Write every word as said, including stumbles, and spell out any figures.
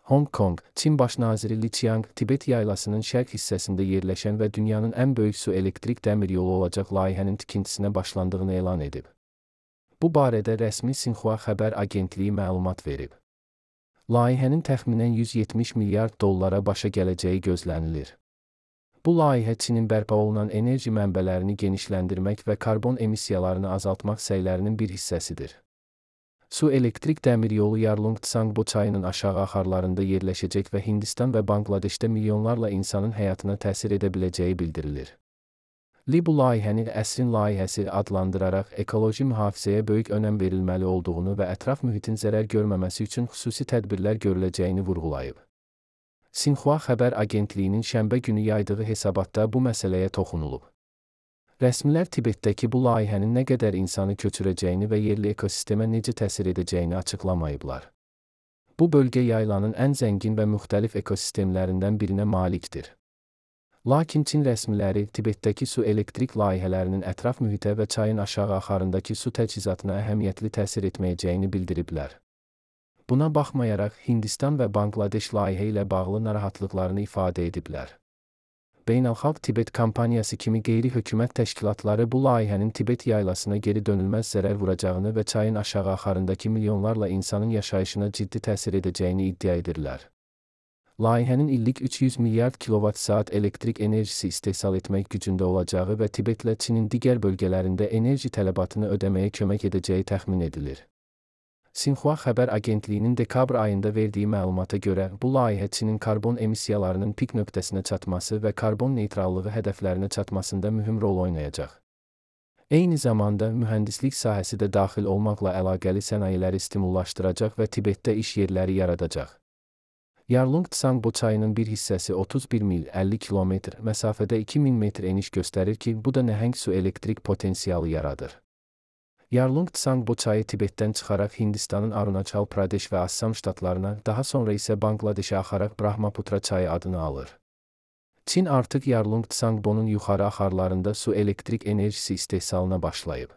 Hong Kong, Çin baş naziri Li Qiang, Tibet yaylasının şərq hissəsində yerləşən və dünyanın ən böyük su elektrik dəmir yolu olacaq layihənin tikintisinə başlandığını elan edib. Bu barədə rəsmi Sinxua xəbər agentliyi məlumat verib. Layihənin təxminən yüz yetmiş milyard dollara başa gələcəyi gözlənilir. Bu layihə Çinin bərpa olunan enerji mənbələrini genişləndirmək və karbon emissiyalarını azaltmaq səylərinin bir hissəsidir. Su elektrik dəmir yolu Yarlung-Tsangbo çayının aşağı axarlarında yerləşəcək və Hindistan və Banqladeşdə milyonlarla insanın həyatına təsir edə biləcəyi bildirilir. Li bu layihəni əsrin layihəsi adlandıraraq ekoloji mühafizəyə böyük önəm verilməli olduğunu və ətraf mühitin zərər görməməsi üçün xüsusi tədbirlər görüləcəyini vurğulayıb. Sinxua xəbər agentliyinin şənbə günü yaydığı hesabatda bu məsələyə toxunulub. Rəsmilər Tibetdəki bu layihənin nə qədər insanı köçürəcəyini və yerli ekosistemə necə təsir edəcəyini açıqlamayıblar. Bu bölgə yaylanın ən zəngin və müxtəlif ekosistemlərindən birinə malikdir. Lakin Çin rəsmiləri Tibetdəki su elektrik layihələrinin ətraf mühitə və çayın aşağı axarındakı su təchizatına əhəmiyyətli təsir etməyəcəyini bildiriblər. Buna baxmayaraq, Hindistan və Banqladeş layihə ilə bağlı narahatlıqlarını ifadə ediblər. Beynəlxalq Tibet kampaniyası kimi qeyri-hökumət təşkilatları bu layihənin Tibet yaylasına geri dönülməz zərər vuracağını və çayın aşağı axarındakı milyonlarla insanın yaşayışına ciddi təsir edəcəyini iddia edirlər. Layihənin illik üç yüz milyard kilovat-saat elektrik enerjisi istehsal etmək gücündə olacağı və Tibetlə Çinin digər bölgələrində enerji tələbatını ödəməyə kömək edəcəyi təxmin edilir. Sinxua xəbər agentliyinin dekabr ayında verdiyi məlumata görə, bu layihə Çinin karbon emissiyalarının pik nöqtəsinə çatması və karbon neytrallığı hədəflərinə çatmasında mühüm rol oynayacaq. Eyni zamanda, mühəndislik sahəsi də daxil olmaqla əlaqəli sənayeləri stimullaşdıracaq və Tibetdə iş yerləri yaradacaq. Yarlung-Tsangbo çayının bir hissəsi otuz bir mil əlli kilometr məsafədə iki min metr eniş göstərir ki, bu da nəhəng su elektrik potensialı yaradır. Yarlung-Tsangbo çayı Tibetdən çıxaraq Hindistanın Arunachal Pradesh və Assam ştatlarına, daha sonra isə Banqladeşə axaraq Brahmaputra çayı adını alır. Çin artıq Yarlung-Tsangbonun yuxarı axarlarında su elektrik enerjisi istehsalına başlayıb.